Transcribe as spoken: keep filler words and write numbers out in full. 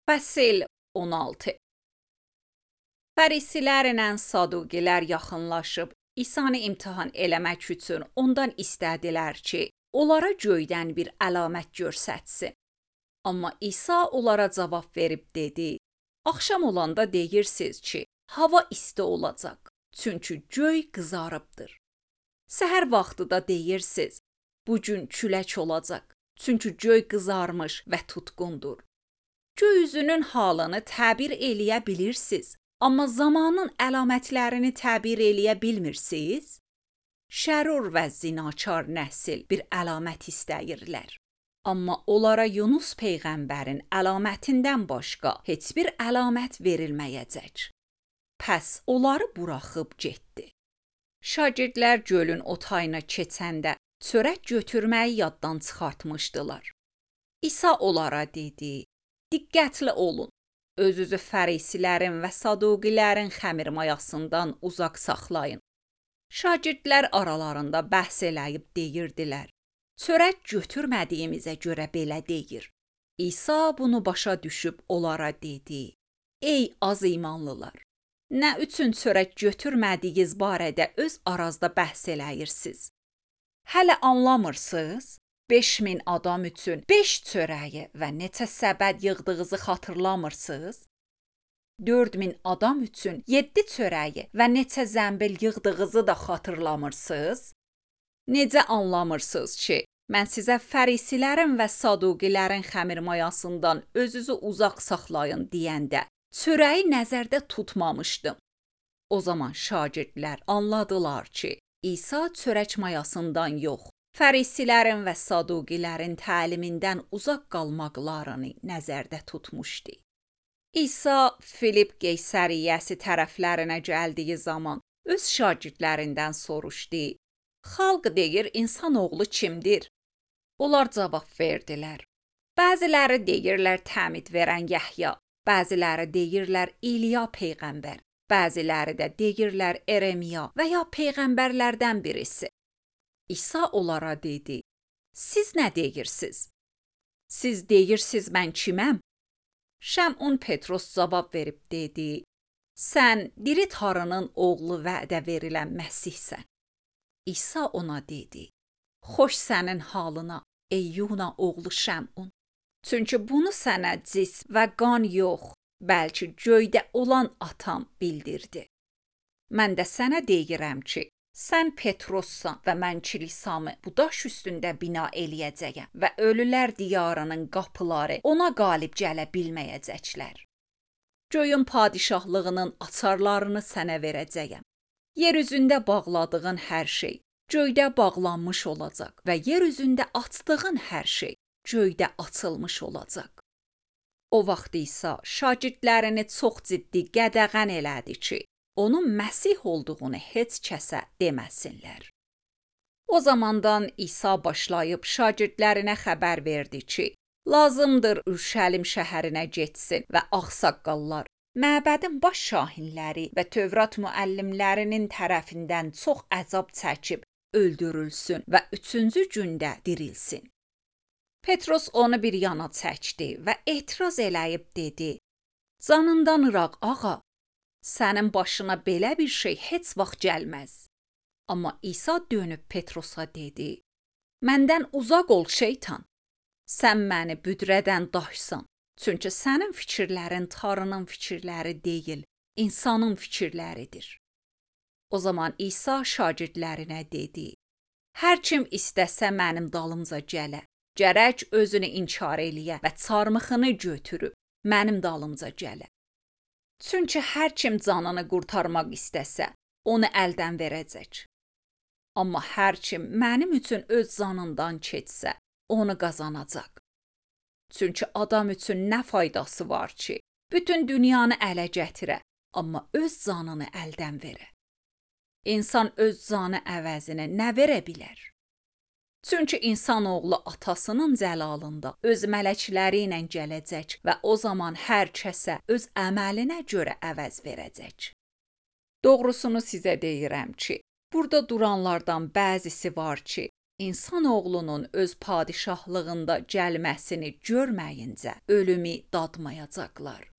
Fəsil on altı. Fərisilərlə Saduqilər yaxınlaşıb İsanı imtahan eləmək üçün ondan istədilər ki, onlara göydən bir əlamət göstərsin. Amma İsa onlara cavab verib dedi: Axşam olanda deyirsiniz ki, hava isti olacaq, çünki göy qızarıbdır. Səhər vaxtı da deyirsiniz, bu gün külək olacaq, çünki göy qızarmış və tutqundur. Göy üzünün halını təbir eləyə bilirsiniz, amma zamanın əlamətlərini təbir eləyə bilmirsiniz? Şərur və zinaçar nəsil bir əlamət istəyirlər. Amma onlara Yunus peyğəmbərin əlamətindən başqa heç bir əlamət verilməyəcək. Pəs onları buraxıb getdi. Şagirdlər gölün o tayına keçəndə çörək götürməyi yaddan çıxartmışdılar. İsa onlara dedi: Diqqətli olun, özünüzü fərisilərin və saduqilərin xəmir mayasından uzaq saxlayın. Şagirdlər aralarında bəhs eləyib deyirdilər: Çörək götürmədiyimizə görə belə deyir. İsa bunu başa düşüb onlara dedi: Ey az imanlılar! Nə üçün çörək götürmədiyiniz barədə öz arazda bəhs eləyirsiniz? Hələ anlamırsınız? beş min adam üçün beş çörəyi və neçə səbət yığdığınızı xatırlamırsınız? dörd min adam üçün yeddi çörəyi və neçə zəmbil yığdığınızı da xatırlamırsınız? Necə anlamırsınız ki, mən sizə fərisilərin və saduqilərin xəmir mayasından özünüzü uzaq saxlayın deyəndə çörəyi nəzərdə tutmamışdım. O zaman şagirdlər anladılar ki, İsa çörək mayasından yox, fərisilərin və saduqilərin təlimindən uzaq qalmaqlarını nəzərdə tutmuşdu. İsa Filip Qeysəriyyəsi tərəflərinə gəldiyi zaman öz şagirdlərindən soruşdu: Xalq deyir, insanoğlu kimdir? Onlar cavab verdilər: Bəziləri deyirlər təmid verən Yəhya, bəziləri deyirlər İliya peyğəmbər, bəziləri də deyirlər Eremiya və ya peyğəmbərlərdən birisi. İsa onlara dedi: Siz nə deyirsiniz? Siz deyirsiniz mən kiməm? Şəmun Petros cavab verib dedi: Sən diri Tanrının oğlu vədə verilən Məsihsən. İsa ona dedi: Xoş sənin halına, ey Yuna oğlu Şəmun. Çünki bunu sənə cis və qan yox, bəlkə göydə olan atam bildirdi. Mən də sənə deyirəm ki, sən Petrossan və mən kilisamı bu daş üstündə bina eləyəcəyəm və ölülər diyarının qapıları ona qalib gələ bilməyəcəklər. Göyün padişahlığının açarlarını sənə verəcəyəm. Yer üzündə bağladığın hər şey göydə bağlanmış olacaq və yer üzündə açdığın hər şey göydə açılmış olacaq. O vaxt İsa şagirdlərini çox ciddi qədəğən elədi ki, onun Məsih olduğunu heç kəsə deməsinlər. O zamandan İsa başlayıb şagirdlərinə xəbər verdi ki, lazımdır Ürşəlim şəhərinə getsin və ağsaqqallar, məbədin baş şahinləri və Tövrat müəllimlərinin tərəfindən çox əzab çəkib öldürülsün və üçüncü gündə dirilsin. Petros onu bir yana çəkdi və etiraz eləyib dedi: Canından ıraq ağa, sənin başına belə bir şey heç vaxt gəlməz. Amma İsa dönüb Petrosa dedi: Məndən uzaq ol şeytan. Sən məni büdrədən daşsan. Çünki sənin fikirlərin Tanrının fikirləri deyil, insanın fikirləridir. O zaman İsa şagirdlərinə dedi: Hər kim istəsə mənim dalımca gələ, gərək özünü inkar eləyə və çarmıxını götürüb mənim dalımca gələ. Çünki hər kim canını qurtarmaq istəsə, onu əldən verəcək. Amma hər kim mənim üçün öz canından keçsə, onu qazanacaq. Çünki adam üçün nə faydası var ki, bütün dünyanı ələ gətirə, amma öz canını əldən verə. İnsan öz canı əvəzinə nə verə bilər? Çünki insanoğlu atasının cəlalında öz mələkləri ilə gələcək və o zaman hər kəsə öz əməlinə görə əvəz verəcək. Doğrusunu sizə deyirəm ki, burada duranlardan bəzisi var ki, İnsanoğlunun öz padişahlığında gəlməsini görməyincə ölümü dadmayacaqlar.